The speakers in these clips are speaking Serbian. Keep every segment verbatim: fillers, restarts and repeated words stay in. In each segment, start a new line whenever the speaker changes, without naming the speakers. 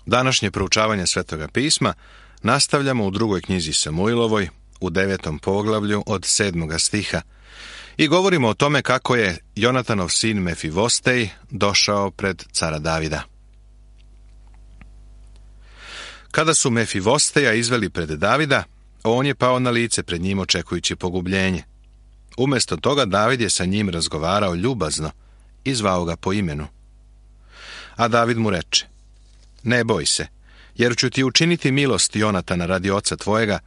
Današnje proučavanje Svetoga pisma nastavljamo u drugoj knjizi Samuilovoj, u devetom poglavlju od sedmoga stiha, i govorimo o tome kako je Jonatanov sin Mefivostej došao pred cara Davida. Kada su Mefivosteja izveli pred Davida, on je pao na lice pred njim očekujući pogubljenje. Umjesto toga David je sa njim razgovarao ljubazno i zvao ga po imenu. A David mu reče: ne boj se, jer ću ti učiniti milost Jonatana radi oca tvojega,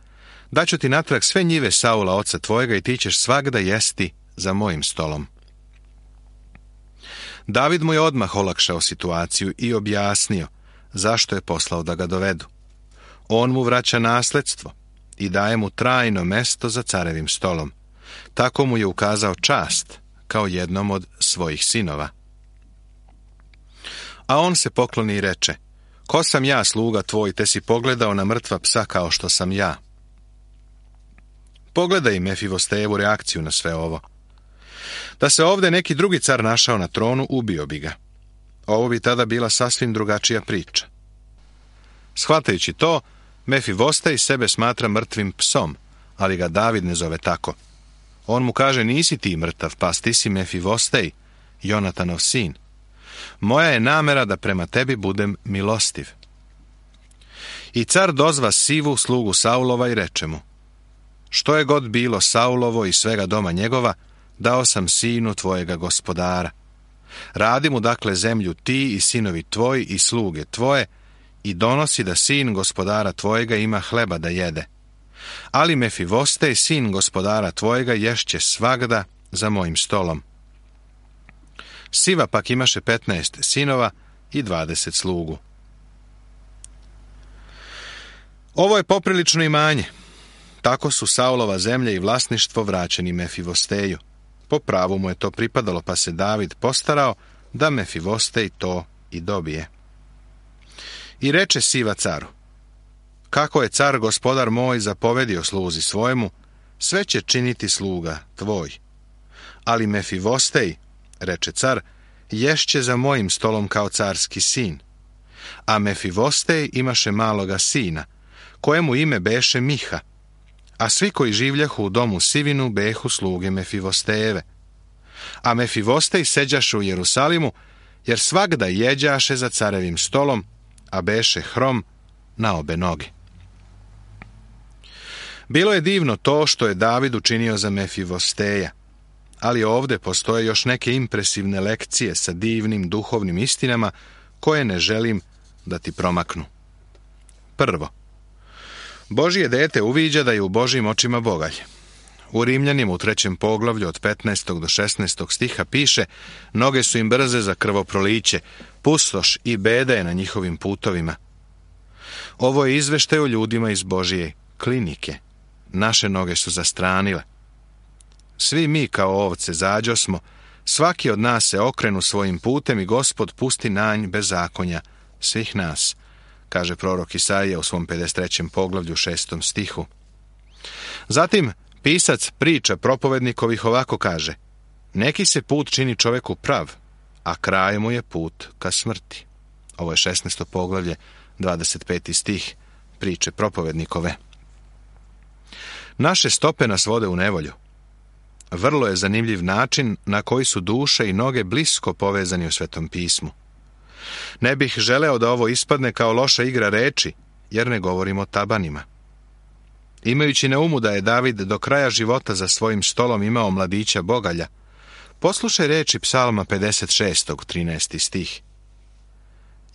daću ti natrag sve njive Saula oca tvojega i ti ćeš svagda jesti za mojim stolom. David mu je odmah olakšao situaciju i objasnio zašto je poslao da ga dovedu. On mu vraća nasledstvo i daje mu trajno mesto za carevim stolom. Tako mu je ukazao čast kao jednom od svojih sinova. A on se pokloni i reče: ko sam ja, sluga tvoj, te si pogledao na mrtva psa kao što sam ja? Pogledaj Mefivostejevu reakciju na sve ovo. Da se ovdje neki drugi car našao na tronu, ubio bi ga. Ovo bi tada bila sasvim drugačija priča. Shvatajući to, Mefivostej sebe smatra mrtvim psom, ali ga David ne zove tako. On mu kaže: nisi ti mrtav pas, ti si Mefivostej, Jonatanov sin. Moja je namera da prema tebi budem milostiv. I car dozva Sivu, slugu Saulova, i reče mu: što je god bilo Saulovo i svega doma njegova, dao sam sinu tvojega gospodara. Radi mu dakle zemlju ti i sinovi tvoji i sluge tvoje, i donosi da sin gospodara tvojega ima hleba da jede. Ali Mefivostej, sin gospodara tvojega, ješće svagda za mojim stolom. Siva pak imaše petnaest sinova i dvadeset slugu. Ovo je poprilično imanje. Tako su Saulova zemlja i vlasništvo vraćeni Mefivosteju. Po pravu mu je to pripadalo, pa se David postarao da Mefivostej to i dobije. I reče Siva caru: kako je car gospodar moj zapovedio sluzi svojemu, sve će činiti sluga tvoj. Ali Mefivostej, reče car, ješće za mojim stolom kao carski sin. A Mefivostej imaše maloga sina, kojemu ime beše Miha, a svi koji življahu u domu Sivinu behu sluge Mefivostejeve. A Mefivostej seđaše u Jerusalimu, jer svagda jeđaše za carevim stolom, a beše hrom na obe noge. Bilo je divno to što je David učinio za Mefivosteja, ali ovdje postoje još neke impresivne lekcije sa divnim duhovnim istinama koje ne želim da ti promaknu. Prvo, Božje dete uviđa da je u Božjim očima bogalj. U Rimljanima u trećem poglavlju od petnaestog do šesnaestog stiha piše: noge su im brze za krvoproliće, pustoš i beda je na njihovim putovima. Ovo je izveštaj o ljudima iz Božje klinike. Naše noge su zastranile. Svi mi kao ovce zađosmo, svaki od nas se okrenu svojim putem i Gospod pusti na nj bezakonja svih nas, kaže prorok Isaija u svom pedeset trećem poglavlju šestom stihu. Zatim pisac priča propovednikovih ovako kaže: neki se put čini čoveku prav, a kraj mu je put ka smrti. Ovo je šesnaesto poglavlje, dvadeset peti stih priče propovednikove. Naše stope nas vode u nevolju. Vrlo je zanimljiv način na koji su duše i noge blisko povezani u Svetom pismu. Ne bih želeo da ovo ispadne kao loša igra reči, jer ne govorimo o tabanima. Imajući na umu da je David do kraja života za svojim stolom imao mladića bogalja, poslušaj reči Psalma pedeset šestog trinaesti stih.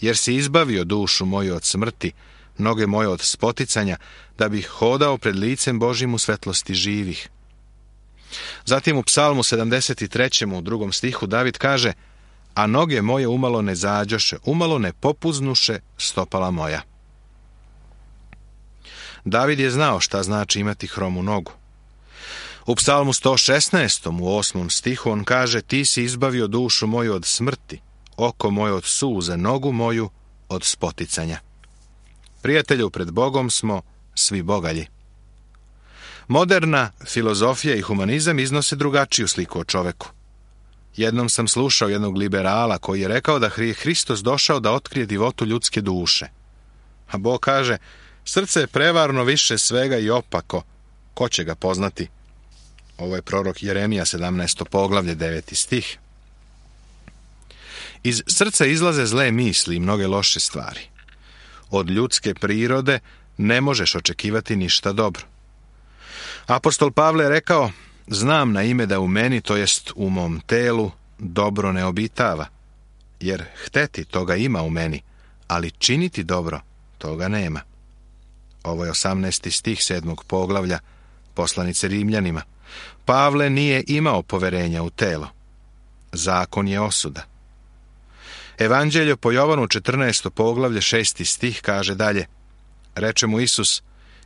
Jer si izbavio dušu moju od smrti, noge moje od spoticanja, da bih hodao pred licem Božjim u svetlosti živih. Zatim u Psalmu sedamdeset trećem u drugom stihu David kaže: a noge moje umalo ne zađoše, umalo ne popuznuše stopala moja. David je znao šta znači imati hromu nogu. U Psalmu sto šesnaestom u osmom stihu on kaže: ti si izbavio dušu moju od smrti, oko moje od suze, nogu moju od spoticanja. Prijatelju, pred Bogom smo svi bogalji. Moderna filozofija i humanizam iznose drugačiju sliku o čoveku. Jednom sam slušao jednog liberala koji je rekao da je Hristos došao da otkrije divotu ljudske duše. A Bog kaže, srce je prevarno više svega i opako, ko će ga poznati? Ovo je prorok Jeremija, sedamnaesto poglavlje, deveti stih. Iz srca izlaze zle misli i mnoge loše stvari. Od ljudske prirode ne možeš očekivati ništa dobro. Apostol Pavle je rekao, znam na ime da u meni, to jest u mom telu, dobro ne obitava, jer hteti toga ima u meni, ali činiti dobro toga nema. Ovo je osamnaesti stih sedmog poglavlja poslanice Rimljanima. Pavle nije imao poverenja u telo. Zakon je osuda. Evanđelje po Jovanu četrnaesto poglavlje šesti stih kaže dalje. Reče mu Isus,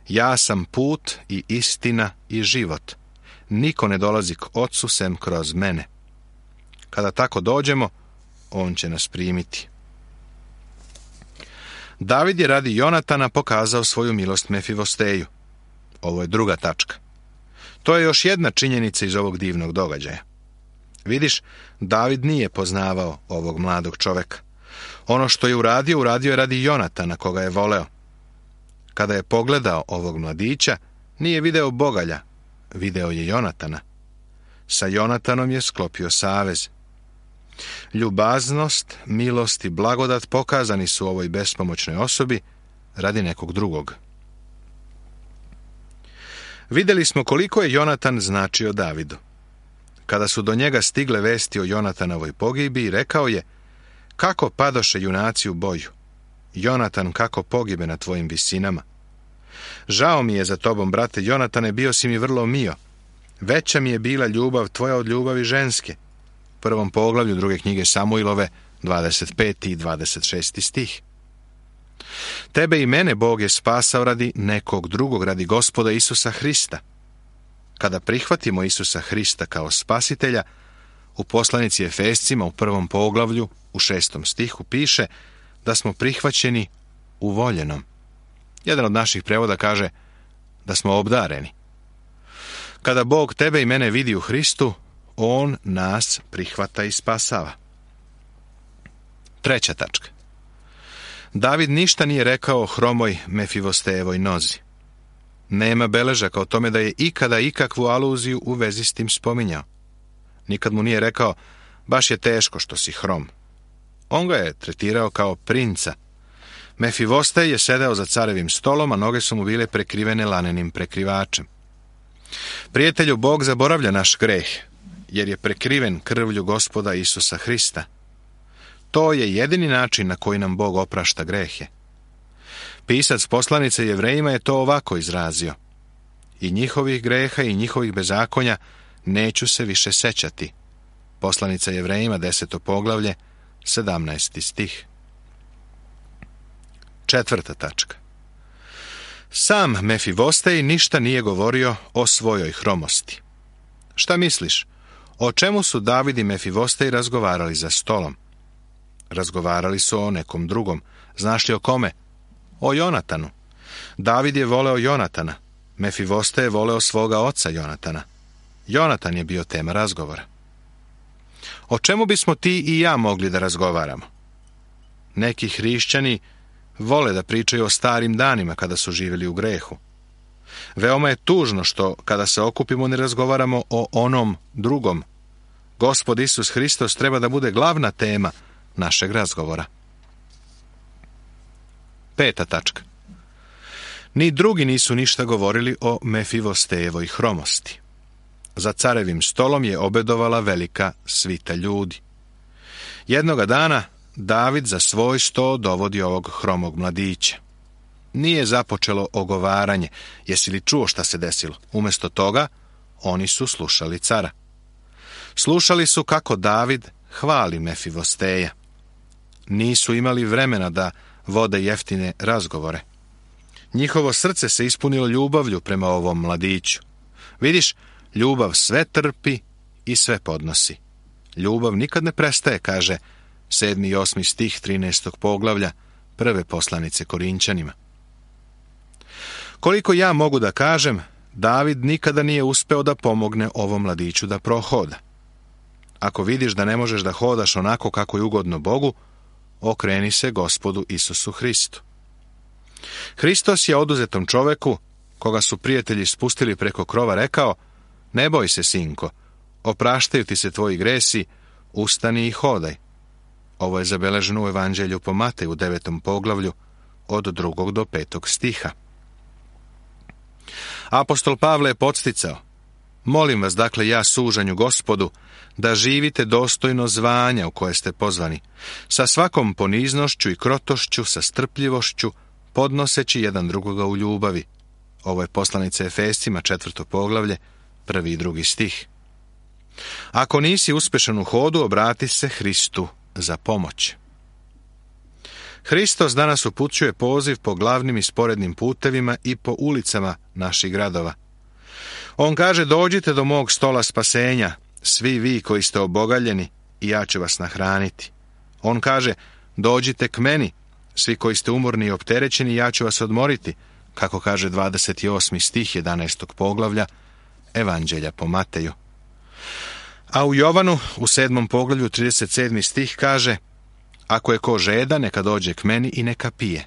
ja sam put i istina i život. Niko ne dolazi k Ocu sem kroz mene. Kada tako dođemo, on će nas primiti. David je radi Jonatana pokazao svoju milost Mefivosteju. Ovo je druga tačka. To je još jedna činjenica iz ovog divnog događaja. Vidiš, David nije poznavao ovog mladog čoveka. Ono što je uradio, uradio je radi Jonatana, koga je voleo. Kada je pogledao ovog mladića, nije video bogalja, video je Jonatana. Sa Jonatanom je sklopio savez. Ljubaznost, milost i blagodat pokazani su ovoj bespomoćnoj osobi radi nekog drugog. Vidjeli smo koliko je Jonatan značio Davidu. Kada su do njega stigle vesti o Jonatanovoj pogibi, rekao je, kako padoše junaci u boju? Jonatan kako pogibe na tvojim visinama? Žao mi je za tobom, brate Jonatane, bio si mi vrlo mio. Veća mi je bila ljubav tvoja od ljubavi ženske. U prvom poglavlju druge knjige Samuilove, dvadeset peti i dvadeset šesti stih. Tebe i mene Bog je spasao radi nekog drugog, radi Gospoda Isusa Hrista. Kada prihvatimo Isusa Hrista kao spasitelja, u poslanici Efescima u prvom poglavlju, u šestom stihu piše da smo prihvaćeni u voljenom. Jedan od naših prevoda kaže da smo obdareni. Kada Bog tebe i mene vidi u Hristu, on nas prihvata i spasava. Treća tačka. David ništa nije rekao o hromoj Mefivostejevoj nozi. Nema beležaka o tome da je ikada ikakvu aluziju u vezi s tim spominjao. Nikad mu nije rekao, baš je teško što si hrom. On ga je tretirao kao princa. Mefivostej je sedeo za carevim stolom, a noge su mu bile prekrivene lanenim prekrivačem. Prijatelju, Bog zaboravlja naš greh, jer je prekriven krvlju Gospoda Isusa Hrista. To je jedini način na koji nam Bog oprašta grehe. Pisac poslanice Jevrejima je to ovako izrazio. I njihovih greha i njihovih bezakonja neću se više sećati. Poslanica Jevrejima, deseto poglavlje, sedamnaesti stih. Četvrta tačka. Sam Mefivostej ništa nije govorio o svojoj hromosti. Šta misliš? O čemu su David i Mefivostej razgovarali za stolom? Razgovarali su o nekom drugom. Znaš li o kome? O Jonatanu. David je voleo Jonatana. Mefivostej je voleo svoga oca Jonatana. Jonatan je bio tema razgovora. O čemu bismo ti i ja mogli da razgovaramo? Neki hrišćani vole da pričaju o starim danima kada su živjeli u grehu. Veoma je tužno što, kada se okupimo, ne razgovaramo o onom drugom. Gospod Isus Hristos treba da bude glavna tema našeg razgovora. Peta tačka. Ni drugi nisu ništa govorili o Mefivostejevoj hromosti. Za carevim stolom je obedovala velika svita ljudi. Jednoga dana David za svoj sto dovodi ovog hromog mladića. Nije započelo ogovaranje, jesi li čuo šta se desilo? Umjesto toga, oni su slušali cara. Slušali su kako David hvali Mefivosteja. Nisu imali vremena da vode jeftine razgovore. Njihovo srce se ispunilo ljubavlju prema ovom mladiću. Vidiš, ljubav sve trpi i sve podnosi. Ljubav nikad ne prestaje, kaže sedmi i osmi stih trinaestog poglavlja prve poslanice Korinćanima. Koliko ja mogu da kažem, David nikada nije uspeo da pomogne ovom mladiću da prohoda. Ako vidiš da ne možeš da hodaš onako kako je ugodno Bogu, okreni se Gospodu Isusu Hristu. Hristos je oduzetom čoveku, koga su prijatelji spustili preko krova, rekao: ne boj se, sinko, opraštaju ti se tvoji gresi, ustani i hodaj. Ovo je zabeleženo u Evanđelju po Mateju u devetom poglavlju od drugog do petog stiha. Apostol Pavle je podsticao: molim vas, dakle, ja sužanju Gospodu, da živite dostojno zvanja u koje ste pozvani, sa svakom poniznošću i krotošću, sa strpljivošću, podnoseći jedan drugoga u ljubavi. Ovo je poslanica Efescima, četvrto poglavlje, prvi i drugi stih. Ako nisi uspešan u hodu, obrati se Hristu za pomoć. Hristos danas upućuje poziv po glavnim i sporednim putevima i po ulicama naših gradova. On kaže: dođite do mog stola spasenja, svi vi koji ste obogaljeni, i ja ću vas nahraniti. On kaže: dođite k meni, svi koji ste umorni i opterećeni, ja ću vas odmoriti, kako kaže dvadeset osmi stih jedanaestog poglavlja Evanđelja po Mateju. A u Jovanu, u sedmom poglavlju, trideset sedmi stih kaže: ako je ko žeda, neka dođe k meni i neka pije.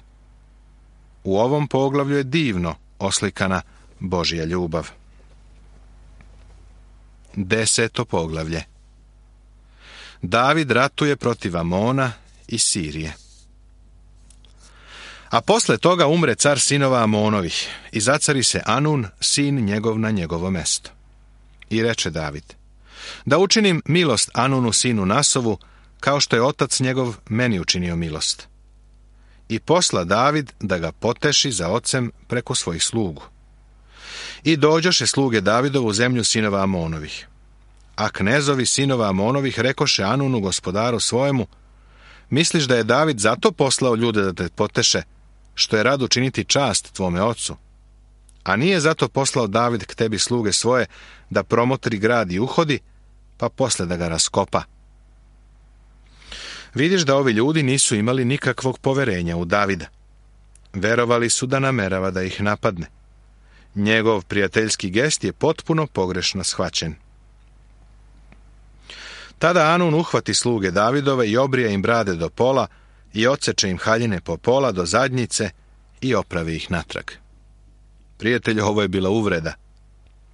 U ovom poglavlju je divno oslikana Božja ljubav. Deseto poglavlje. David ratuje protiv Amona i Sirije. A posle toga umre car sinova Amonovih i zacari se Anun, sin njegov, na njegovo mesto. I reče David: da učinim milost Anunu, sinu Nasovu, kao što je otac njegov meni učinio milost. I posla David da ga poteši za ocem preko svojih slugu. I dođoše sluge Davidovu u zemlju sinova Amonovih. A knezovi sinova Amonovih rekoše Anunu, gospodaru svojemu: misliš da je David zato poslao ljude da te poteše, što je rado činiti čast tvome ocu? A nije zato poslao David k tebi sluge svoje, da promotri grad i uhodi, pa posle da ga raskopa? Vidiš da ovi ljudi nisu imali nikakvog poverenja u Davida. Verovali su da namerava da ih napadne. Njegov prijateljski gest je potpuno pogrešno shvaćen. Tada Anun uhvati sluge Davidove i obrija im brade do pola i odseče im haljine po pola do zadnjice i opravi ih natrag. Prijatelju, ovo je bila uvreda.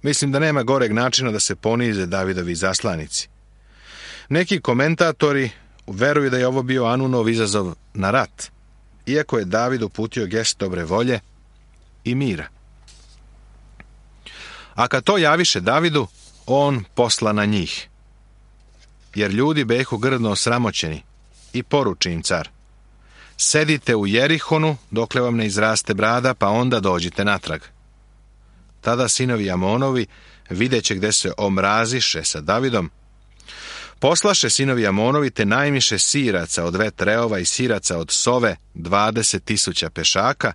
Mislim da nema goreg načina da se ponize Davidovi zaslanici. Neki komentatori veruju da je ovo bio Anunov izazov na rat, iako je David uputio gest dobre volje i mira. A kad to javiše Davidu, on posla na njih. Jer ljudi behu grdno osramoćeni, i poruči im car: sedite u Jerihonu dokle vam ne izraste brada, pa onda dođite natrag. Tada sinovi Amonovi, videće gde se omraziše sa Davidom, poslaše sinovi Amonovi te najmiše siraca od vetreova i siraca od sove dvadeset tisuća pešaka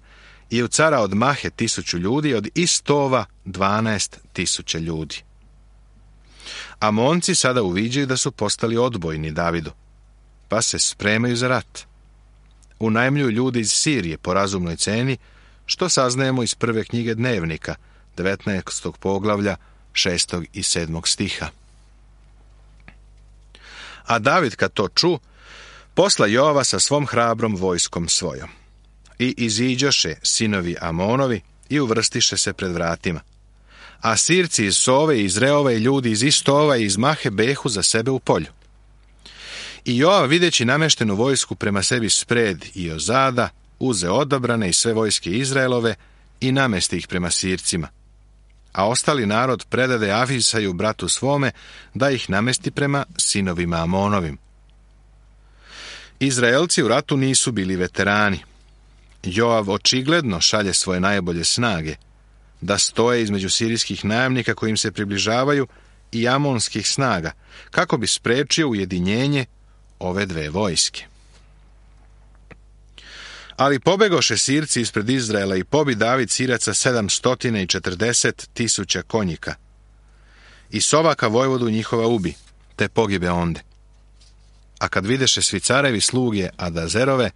i u cara od Mahe tisuću ljudi, od Istova dvanaest tisuća ljudi. Amonci sada uviđaju da su postali odbojni Davidu, pa se spremaju za rat. Unajmljuju ljudi iz Sirije po razumnoj ceni, što saznajemo iz prve knjige Dnevnika, devetnaestog poglavlja, šestog i sedmog stiha. A David, kad to ču, posla Joava sa svom hrabrom vojskom svojom. I iziđoše sinovi Amonovi i uvrstiše se pred vratima. A Sirci iz Sove i iz Reova i ljudi iz Istova i iz Mahe behu za sebe u polju. I Joav, videći nameštenu vojsku prema sebi spred i ozada, uze odabrane i sve vojske Izraelove i namesti ih prema Sircima. A ostali narod predade Ahisaju, bratu svome, da ih namesti prema sinovima Amonovim. Izraelci u ratu nisu bili veterani. Joav očigledno šalje svoje najbolje snage, da stoje između sirijskih najamnika koji im se približavaju i amonskih snaga, kako bi sprečio ujedinjenje ove dve vojske. Ali pobegoše Sirci ispred Izraela i pobi David Siraca sedamsto četrdeset tisuća konjika. I Sovaka vojvodu njihova ubi, te pogibe onde. A kad videše svi carevi sluge Adazerove,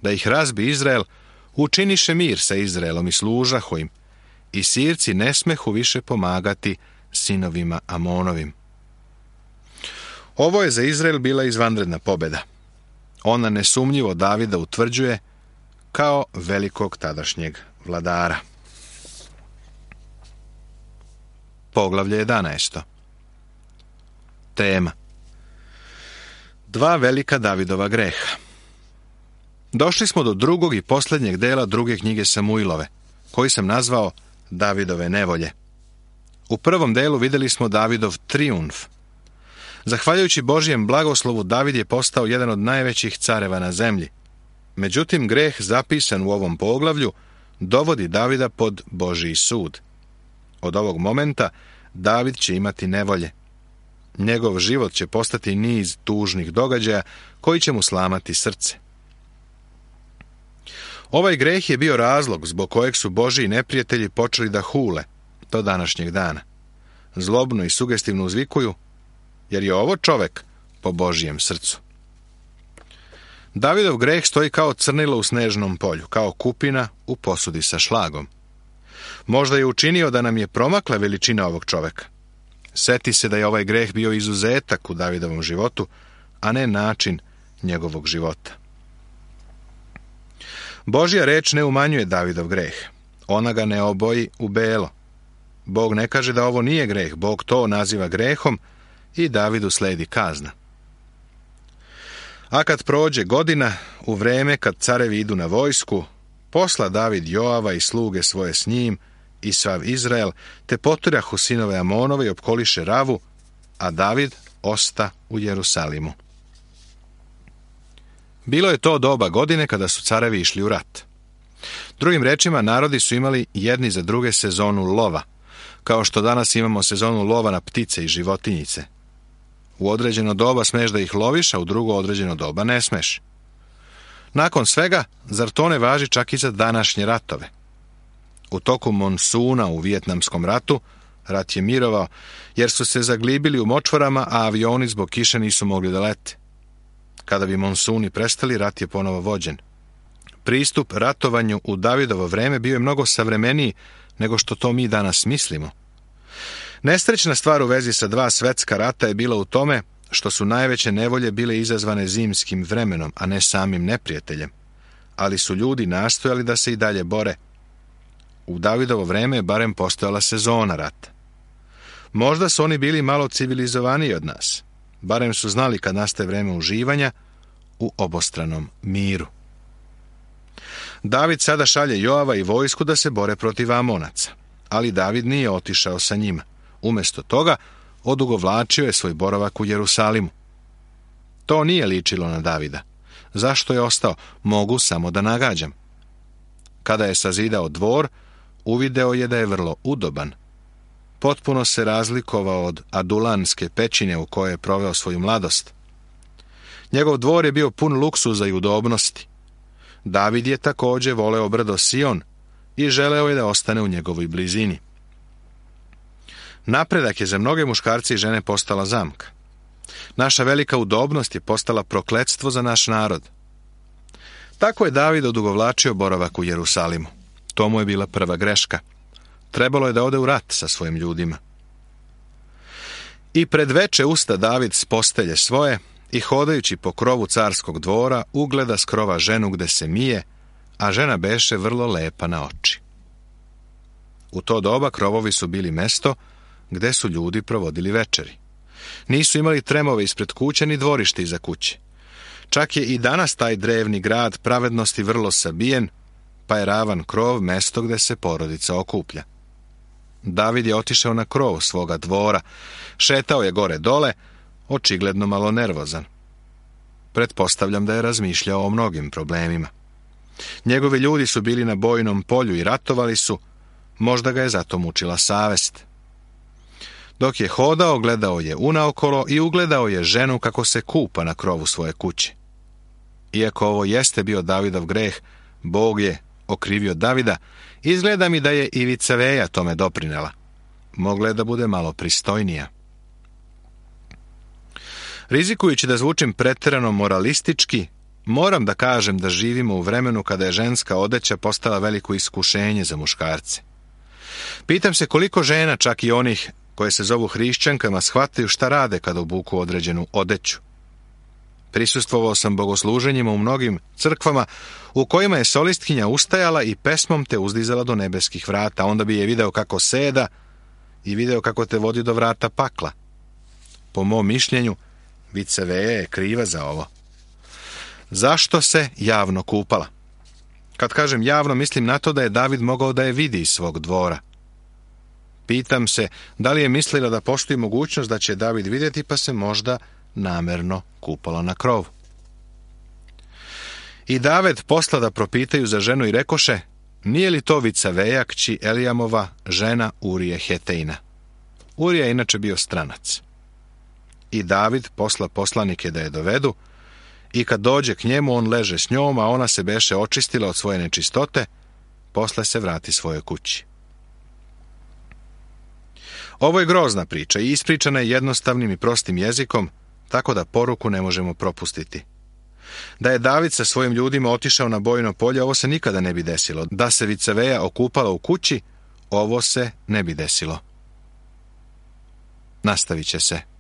da ih razbi Izrael, učiniše mir sa Izraelom i služaho im, i Sirci ne smehu više pomagati sinovima Amonovim. Ovo je za Izrael bila izvanredna pobjeda. Ona nesumnjivo Davida utvrđuje kao velikog tadašnjeg vladara. Poglavlje jedanaesto. Tema: Dva velika Davidova greha. Došli smo do drugog i posljednjeg dela druge knjige Samuilove, koji sam nazvao Davidove nevolje. U prvom delu vidjeli smo Davidov trijumf. Zahvaljujući Božijem blagoslovu, David je postao jedan od najvećih careva na zemlji. Međutim, greh zapisan u ovom poglavlju dovodi Davida pod Božji sud. Od ovog momenta David će imati nevolje. Njegov život će postati niz tužnih događaja koji će mu slamati srce. Ovaj greh je bio razlog zbog kojeg su Božji neprijatelji počeli da hule do današnjeg dana. Zlobno i sugestivno uzvikuju, jer je ovo čovek po Božjem srcu. Davidov greh stoji kao crnilo u snežnom polju, kao kupina u posudi sa šlagom. Možda je učinio da nam je promakla veličina ovog čoveka. Seti se da je ovaj greh bio izuzetak u Davidovom životu, a ne način njegovog života. Božja reč ne umanjuje Davidov greh. Ona ga ne oboji u belo. Bog ne kaže da ovo nije greh, Bog to naziva grehom i Davidu sledi kazna. A kad prođe godina, u vreme kad carevi idu na vojsku, posla David Joava i sluge svoje s njim i sav Izrael, te potirahu sinove Amonove i opkoliše Ravu, a David osta u Jerusalimu. Bilo je to doba godine kada su carevi išli u rat. Drugim rečima, narodi su imali jedni za druge sezonu lova, kao što danas imamo sezonu lova na ptice i životinjice. U određeno doba smeš da ih loviš, a u drugo određeno doba ne smeš. Nakon svega, zar to ne važi čak i za današnje ratove? U toku monsuna u Vijetnamskom ratu, rat je mirovao, jer su se zaglibili u močvarama, a avioni zbog kiše nisu mogli da lete. Kada bi monsuni prestali, rat je ponovo vođen. Pristup ratovanju u Davidovo vreme bio je mnogo savremeniji nego što to mi danas mislimo. Nesrećna stvar u vezi sa dva svetska rata je bila u tome što su najveće nevolje bile izazvane zimskim vremenom, a ne samim neprijateljem. Ali su ljudi nastojali da se i dalje bore. U Davidovo vreme je barem postojala sezona rata. Možda su oni bili malo civilizovaniji od nas. Barem su znali kad nastaje vreme uživanja u obostranom miru. David sada šalje Joava i vojsku da se bore protiv Amonaca, ali David nije otišao sa njima. Umjesto toga, odugovlačio je svoj boravak u Jerusalimu. To nije ličilo na Davida. Zašto je ostao? Mogu samo da nagađam. Kada je sazidao dvor, uvideo je da je vrlo udoban. Potpuno se razlikovao od adulanske pećine u kojoj je proveo svoju mladost. Njegov dvor je bio pun luksuza i udobnosti. David je također voleo brdo Sion i želeo je da ostane u njegovoj blizini. Napredak je za mnoge muškarce i žene postala zamka. Naša velika udobnost je postala prokletstvo za naš narod. Tako je David odugovlačio boravak u Jerusalimu. To mu je bila prva greška. Trebalo je da ode u rat sa svojim ljudima. I pred veče usta David s postelje svoje i hodajući po krovu carskog dvora ugleda s krova ženu gde se mije, a žena beše vrlo lepa na oči. U to doba krovovi su bili mesto gde su ljudi provodili večeri. Nisu imali tremove ispred kuće ni dvorište iza kuće. Čak je i danas taj drevni grad pravednosti vrlo sabijen, pa je ravan krov mesto gde se porodica okuplja. David je otišao na krov svoga dvora, šetao je gore dole, očigledno malo nervozan. Pretpostavljam da je razmišljao o mnogim problemima. Njegovi ljudi su bili na bojnom polju i ratovali su, možda ga je zato mučila savest. Dok je hodao, gledao je unaokolo i ugledao je ženu kako se kupa na krovu svoje kuće. Iako ovo jeste bio Davidov greh, Bog je okrivio Davida, izgleda mi da je i Vicaveja tome doprinela. Mogla je da bude malo pristojnija. Rizikujući da zvučim pretjerano moralistički, moram da kažem da živimo u vremenu kada je ženska odeća postala veliko iskušenje za muškarce. Pitam se koliko žena, čak i onih koje se zovu hrišćankama, shvataju šta rade kada obuku određenu odeću. Prisustvovao sam bogosluženjima u mnogim crkvama u kojima je solistkinja ustajala i pesmom te uzdizala do nebeskih vrata. Onda bi je video kako seda i video kako te vodi do vrata pakla. Po mom mišljenju, Viceveja je kriva za ovo. Zašto se javno kupala? Kad kažem javno, mislim na to da je David mogao da je vidi iz svog dvora. Pitam se, da li je mislila da postoji mogućnost da će David vidjeti, pa se možda namerno kupala na krovu. I David posla da propitaju za ženu i rekoše, nije li to Vicaveja, kći Elijamova, žena Urije Hetejna? Urija je inače bio stranac. I David posla poslanike da je dovedu, i kad dođe k njemu, on leže s njom, a ona se beše očistila od svoje nečistote, posle se vrati svojoj kući. Ovo je grozna priča i ispričana je jednostavnim i prostim jezikom, tako da poruku ne možemo propustiti. Da je David sa svojim ljudima otišao na bojno polje, ovo se nikada ne bi desilo. Da se Vicaveja okupala u kući, ovo se ne bi desilo. Nastavit će se.